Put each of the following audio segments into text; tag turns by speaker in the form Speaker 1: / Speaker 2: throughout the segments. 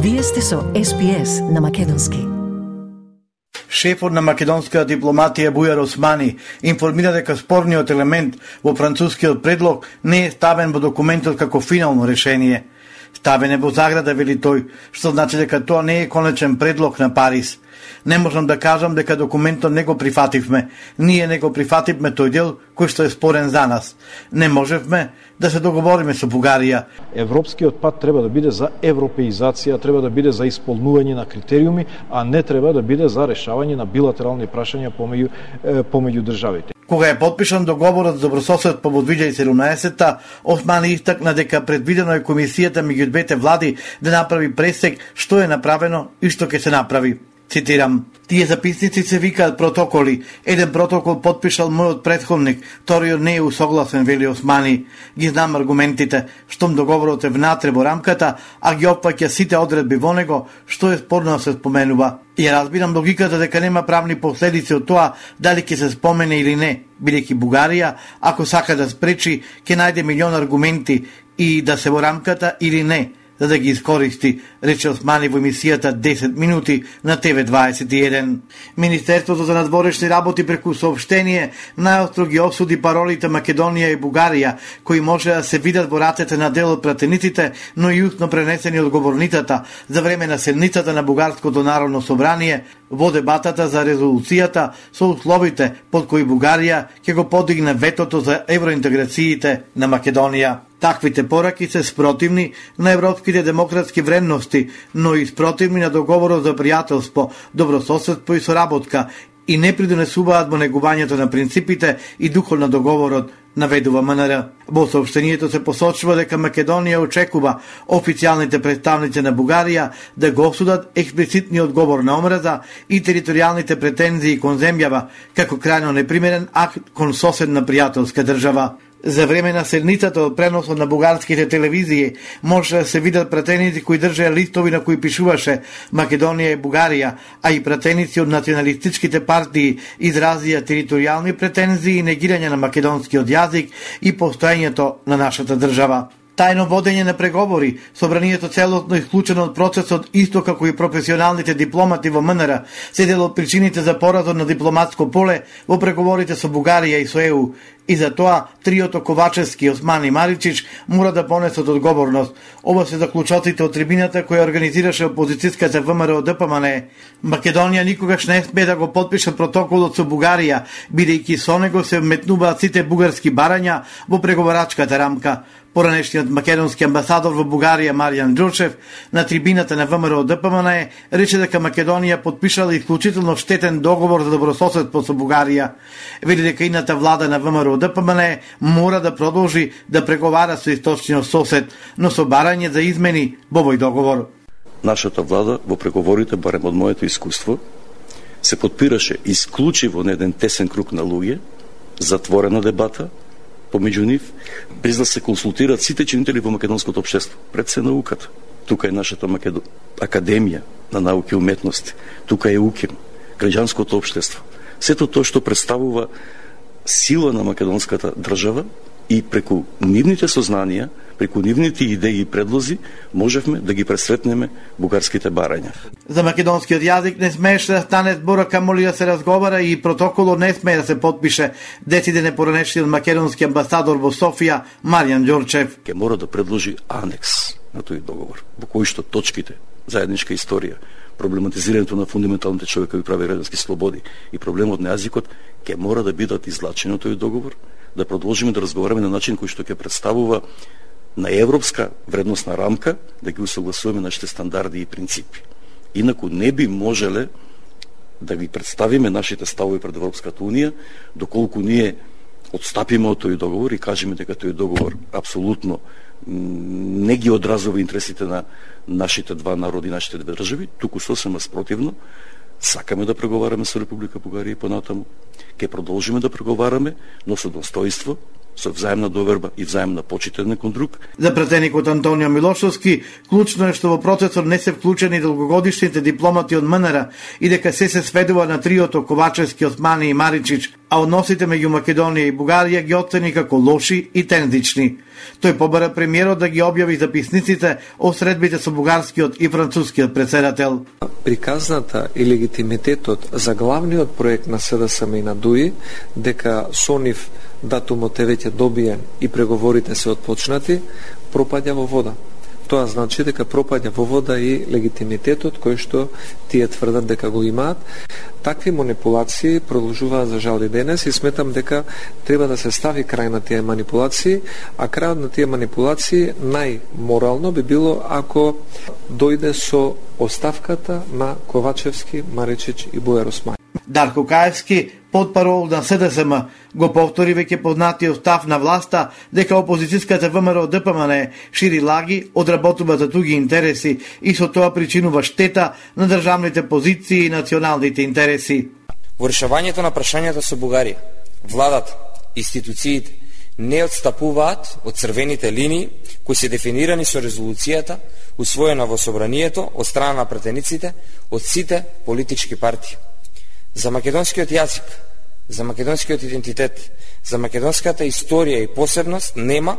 Speaker 1: Вие сте со SPS на македонски.
Speaker 2: Шефот на македонската дипломатија Бујар Османи информира дека спорниот елемент во францускиот предлог не е ставен во документот како финално решение. Ставен е во заграда, вели тој, што значи дека тоа не е конечен предлог на Париз. Не можам да кажам дека документот не го прифативме. Ние не го прифативме тој дел кој што е спорен за нас. Не можевме да се договориме со Бугарија.
Speaker 3: Европскиот пат треба да биде за европеизација, треба да биде за исполнување на критериуми, а не треба да биде за решавање на билатерални прашања помеѓу државите.
Speaker 2: Кога е подпишан договорот за добрососед по 2017-та, Османи истакна дека предвидено е комисијата меѓу двете влади да направи пресек што е направено и што ќе се направи. Цитирам: "Тие записници се викаат протоколи. Еден протокол подпишал мојот претходник, вториот не е усогласен", вели Османи. "Ги знам аргументите, штом договорот е внатре во рамката, а ги опфаќа сите одредби во него, што е спорно се споменува. И разбирам логиката дека нема правни последици од тоа дали ќе се спомене или не, бидејќи Бугарија, ако сака да спречи, ќе најде милион аргументи и да се во рамката или не, за да ги искористи", рече Османи во емисијата 10 минути на TV21. Министерството за надворешни работи преку соопштение најостро ги осуди паролите Македонија и Бугарија, кои може да се видат во ратете на дел од пратениците, но и устно пренесени од говорницата за време на седницата на Бугарското народно собрание во дебатата за резолуцијата со условите под кои Бугарија ќе го подигне ветото за евроинтеграциите на Македонија. Таквите пораки се спротивни на европските демократски вредности, но и спротивни на договорот за пријателство, добрососедство и соработка и не придонесуваат во негувањето на принципите и духот на договорот, наведува МНР. Во соопштението се посочува дека Македонија очекува официјалните представници на Бугарија да го осудат експлицитниот говор на омраза и територијалните претензии кон земјава како крајно непримерен акт кон соседна пријателска држава. За време на седницата од преносот на бугарските телевизии може да се видат пратеници кои држеа листови на кои пишуваше Македонија и Бугарија, а и пратеници од националистичките партии изразија територијални претензии и негирање на македонскиот јазик и постоењето на нашата држава. Тајно водење на преговори, собранието целосно исклучено од процесот, исто како и професионалните дипломати во МНР, се дел од причините за поразот на дипломатско поле во преговорите со Бугарија и со ЕУ. И за тоа триото Ковачевски, Османи и Маричич мора да понесат одговорност. Ова се заклучоците од трибината која организираше опозицијската ВМРО ДПМН. Македонија никогаш не смее да го подпише протоколот со Бугарија, бидејќи со него се вметнуваат сите бугарски барања во преговорачката рамка. Поранешниот македонски амбасадор во Бугарија Маријан Ѓорчев на трибината на ВМРО ДПМН рече дека Македонија подпишала исклучително штетен договор за добрососедство со Бугарија. Вели дека ината влада на ВМРО ДПМН мора да продолжи да преговара со источниот сосед, но со барање за измени во овој договор.
Speaker 4: Нашата влада во преговорите, барем од моето искуство, се подпираше исклучиво на еден тесен круг на луѓе, затворена дебата помеѓу нив, без да се консултираат сите чинители во македонското општество, пред се науката. Тука е нашата Академија на науки и уметности, тука е УКИМ, граѓанското општество. Сето тоа што представува сила на македонската држава и преку нивните сознанија, преку нивните идеи и предлози, можевме да ги пресретнеме бугарските барања.
Speaker 2: За македонскиот јазик не смееше да стане збора, камоли да се разговара, и протоколот не смее да се подпише, дециде не поранешниот македонски амбасадор во Софија Маријан Ѓорчев.
Speaker 4: Ке мора да предложи анекс на тој договор, во кој што точките заедничка историја, проблематизирањето на фундаменталните човекови права и граѓански слободи и проблемот на јазикот ке мора да бидат излачени од тој договор, да продолжиме да разговараме на начин кој што ќе представува на европска вредносна рамка, да ги усогласуваме нашите стандарди и принципи. Инаку не би можеле да ги представиме нашите ставови пред Европската Унија, доколку ние отстапиме од тој договор и кажеме дека тој договор апсолутно не ги одразува интересите на нашите два народи, нашите две држави, туку сосема спротивно, сакаме да преговараме со Република Бугарија и понатаму. Ке продолжиме да преговараме, но со достојство, со взаимна доверба и взаимна почит еден кон друг.
Speaker 2: За пратеникот Антонио Милошовски, клучно е што во процесот не се вклучени долгогодишните дипломати од МНР и дека се сведува на триото Ковачевски, Османи и Маричич, а односите меѓу Македонија и Бугарија ги оцени како лоши и тензични. Тој побара премиерот да ги објави записниците о средбите со бугарскиот и францускиот председател.
Speaker 5: Приказната и легитимитетот за главниот проект на СДСМ и на ДУИ, дека со нив датумот е веќе добиен и преговорите се отпочнати, пропаѓа во вода. Тоа значи дека пропаѓа во вода и легитимитетот кој што тие тврдат дека го имаат. Такви манипулации продолжуваат за жал и денес и сметам дека треба да се стави крај на тие манипулации, а крајот на тие манипулации најморално би било ако дојде со оставката на Ковачевски, Маричич и Бујар Османи.
Speaker 2: Дарко Каевски, потпарол на СДСМ, го повтори веќе познатиот став на власта дека опозицијската ВМРО ДПМН шири лаги, одработува за туги интереси и со тоа причинува штета на државните позиции и националните интереси.
Speaker 6: Во решавањето на прашањата со Бугарија, владата, институциите не отстапуваат од црвените линии кои се дефинирани со резолуцијата усвоена во собранието од страна на пратениците од сите политички партии. За македонскиот јазик, за македонскиот идентитет, за македонската историја и посебност нема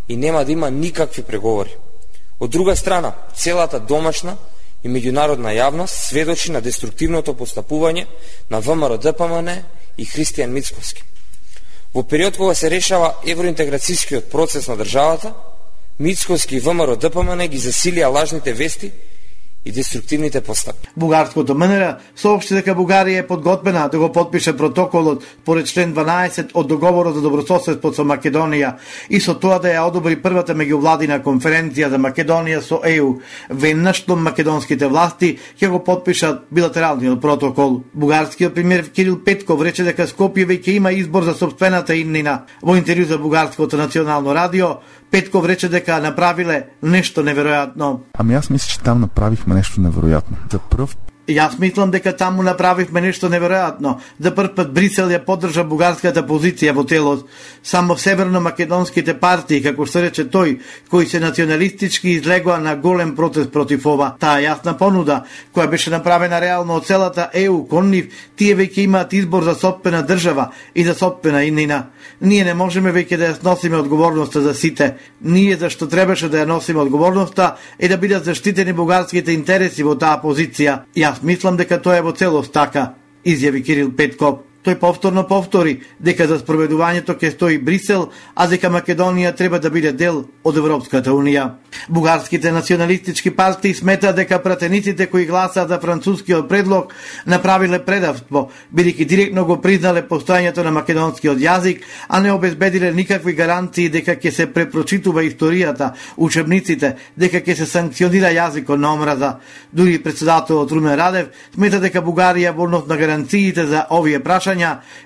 Speaker 6: и нема да има никакви преговори. Од друга страна, целата домашна и меѓународна јавност сведочи на деструктивното постапување на ВМРО ДПМН и Христијан Мицковски. Во период кога се решава евроинтеграцијскиот процес на државата, Мицковски и ВМРО ДПМН ги засилија лажните вести и деструктивните постапки.
Speaker 2: Бугарското МНР соопшти дека Бугарија е подготвена да го потпише протоколот поред член 12 од договорот за добрососедство со Македонија и со тоа да ја одобри првата меѓувладина конференција за Македонија со ЕУ, веднаш што македонските власти ќе го потпишат билатералниот протокол. Бугарскиот премиер Кирил Петков рече дека Скопје веќе има избор за сопствената иднина. Во интервју за Бугарското национално радио, Петков рече дека направиле нешто неверојатно.
Speaker 7: Ами јас мислам че там направивме нешто неверојатно. За прв
Speaker 2: Јас мислам дека таму направивме нешто неверојатно. За прв пат Брисел ја поддржа бугарската позиција во телот. Само северно-македонските партии, како се рече тој, кои се националистички излегоа на голем протест против ова. Таа јасна понуда, која беше направена реално од целата ЕУ кон нив, тие веќе имаат избор за сопствена држава и за сопствена иднина. Ние не можеме веќе да ја носиме одговорноста за сите. Ние зашто требаше да ја носиме одговорноста е да бидат заштитени бугарските интереси во таа позиција. Јас мислам дека тоа е во целост така, изјави Кирил Петков. Тој повторно повтори дека за спроведувањето ќе стои Брисел, а дека Македонија треба да биде дел од Европската Унија. Бугарските националистички партии сметаат дека пратениците кои гласаат за францускиот предлог направиле предавство, бидејќи директно го признале постојањето на македонскиот јазик, а не обезбедиле никакви гаранции дека ќе се препрочитува историјата, учебниците, дека ќе се санкционира јазикот на омраза. Дури председателот Румен Радев смета дека Бугарија во однос на гаранциите за овие прашања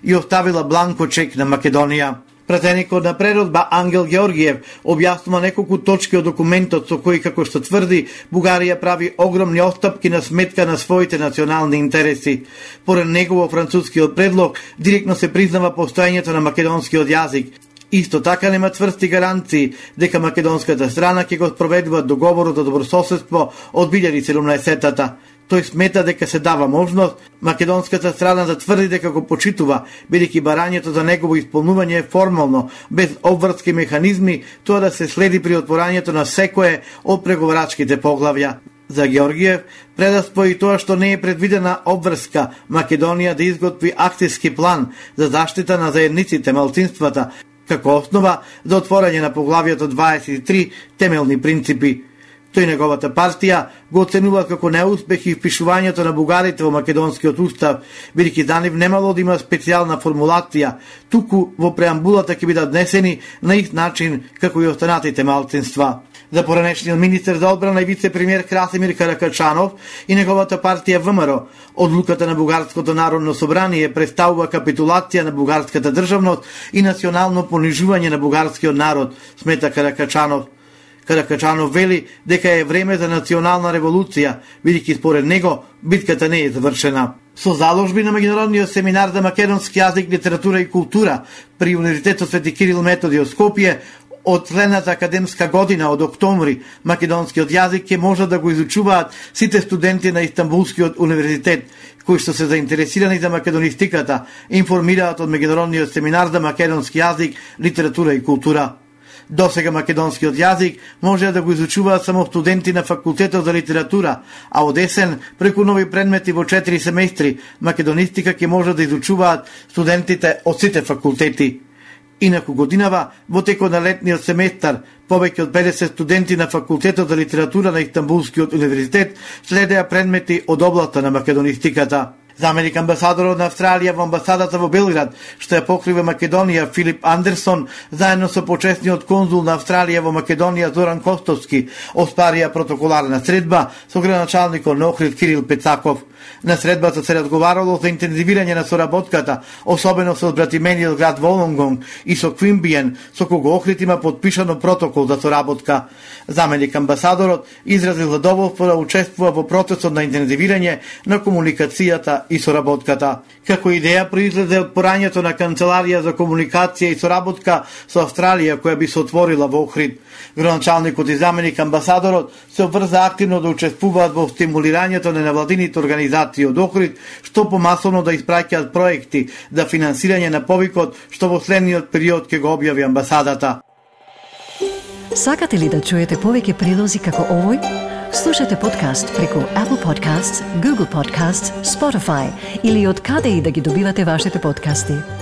Speaker 2: и оставила бланко чек на Македонија. Пратеникот на прередба Ангел Георгиев објаснува неколку точки од документот со кои, како што тврди, Бугарија прави огромни отстапки на сметка на своите национални интереси. Поред него во францускиот предлог директно се признава постојањето на македонскиот јазик. Исто така нема цврсти гаранции дека македонската страна ќе го спроведува договорот за добрососедство од 2017-та. Тој смета дека се дава можност македонската страна да тврди дека го почитува, бидејќи барањето за негово исполнување е формално, без обврски механизми, тоа да се следи при отворањето на секое од преговарачките поглавја. За Георгиев предавство и тоа што не е предвидена обврска Македонија да изготви акцијски план за заштита на заедниците малцинствата, како основа за отворање на поглавјето 23 темелни принципи. Тој неговата партија го оценува како неуспех и впишувањето на бугарите во македонскиот устав, бидејќи за нив немало да има специјална формулација, туку во преамбулата ќе бидат внесени на ист начин како и останатите малцинства. За поранешниот министер за одбрана и вице-премиер Красимир Каракачанов и неговата партија ВМРО, одлуката на Бугарското народно собрание представува капитулација на бугарската државност и национално понижување на бугарскиот народ, смета Каракачанов. Каракачанов вели дека е време за национална револуција, бидејќи според него битката не е завршена. Со заложби на меѓународниот семинар за македонски јазик, литература и култура при Универзитетот Свети Кирил Методи од Скопје, од следната академска година од октомври македонскиот јазик ќе може да го изучуваат сите студенти на Истанбулскиот универзитет кои што се заинтересирани за македонистиката, информираат од меѓународниот семинар за македонски јазик, литература и култура. Досега македонскиот јазик може да го изучуваат само студенти на факултетот за литература, а од есен преку нови предмети во 4 семестри македонистика ќе може да изучуваат студентите од сите факултети. Инаку годинава, во текот на летниот семестар, повеќе од 50 студенти на факултетот за литература на Истанбулскиот универзитет следеа предмети од областта на македонистиката. Заменик амбасадорот на Австралија во амбасадата во Белград, што ја покрива Македонија, Филип Андерсон, заедно со почесниот конзул на Австралија во Македонија Зоран Костовски, оспарија протоколарна средба со градоначалникот на Охрид Кирил Пецаков. На средбата се разговарало за интензивирање на соработката, особено со братимениот град Волонгонг и со Квимбиен, со кого Охрид има подпишано протокол за соработка. Заменик амбасадорот изразил задоволство да учествува во процесот на интензивирање на комуникацијата и соработката. Како идеја произлезе од порањето на Канцеларија за комуникација и соработка со Австралија која би се отворила во Охрид. Градоначалникот и заменик амбасадорот се обврза активно да учествуваат во стимулирањето на невладините организации од Охрид, што помасовно да испраќаат проекти за финансирање на повикот што во следниот период ќе го објави амбасадата.
Speaker 1: Сакате ли да чуете повеќе прилози како овој? Слушате подкаст преку Apple Podcasts, Google Podcasts, Spotify или од каде и да ги добивате вашите подкасти.